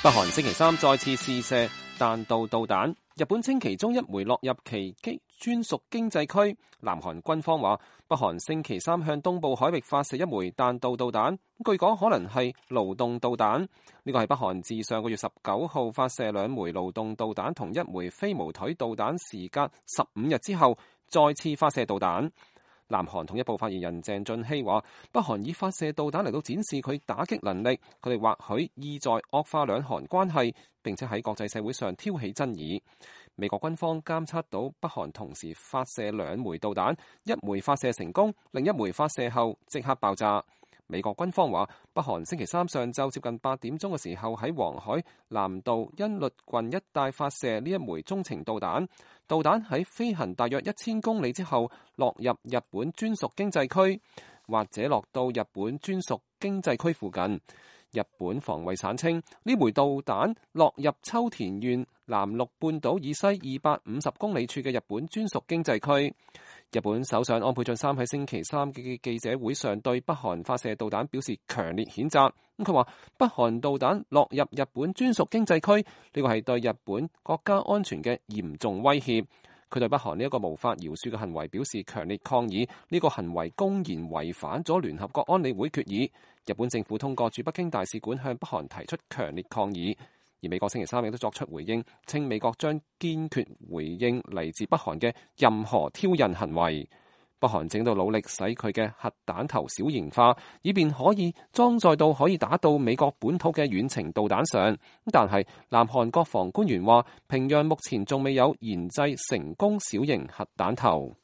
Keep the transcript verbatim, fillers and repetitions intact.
北韓星期三再次試射彈道導彈，日本稱其中一枚落入其機專屬經濟區。南韓軍方話，北韓星期三向東部海域發射一枚彈道導彈，據講可能係勞動導彈。呢個係北韓自上個月十九號發射兩枚勞動導彈同一枚飛毛腿導彈時隔十五日之後，再次發射導彈。南韓統一部發言人鄭俊熙話，北韓以發射導彈嚟到展示佢打擊能力，佢哋或許意在惡化兩韓關係，並且喺國際社會上挑起爭議。美國軍方監測到北韓同時發射兩枚導彈，一枚發射成功，另一枚發射後即刻爆炸。美國軍方話，北韓星期三上晝接近八點鐘嘅時候喺黃海南道恩律郡一帶發射呢一枚中程導彈，導彈喺飛行大約一千公里之後落入日本專屬經濟區，或者落到日本專屬經濟區附近。日本防衛省稱，呢枚導彈落入秋田縣南陸半島以西二百五十公里處嘅日本專屬經濟區。日本首相安倍晉三喺星期三嘅記者會上對北韓發射導彈表示強烈譴責。咁佢話，北韓導彈落入日本專屬經濟區，呢個係對日本國家安全嘅嚴重威脅。佢對北韓呢一個無法饒恕嘅行為表示強烈抗議，呢個行為公然違反咗聯合國安理會決議。日本政府通過駐北京大使館向北韓提出強烈抗議。而美國星期三亦都作出回應，稱美國將堅決回應嚟自北韓嘅任何挑釁行為。北韓正喺度努力使佢嘅核彈頭小型化，以便可以裝載到可以打到美國本土嘅遠程導彈上。但係南韓國防官員話，平壤目前仲未有研製成功小型核彈頭。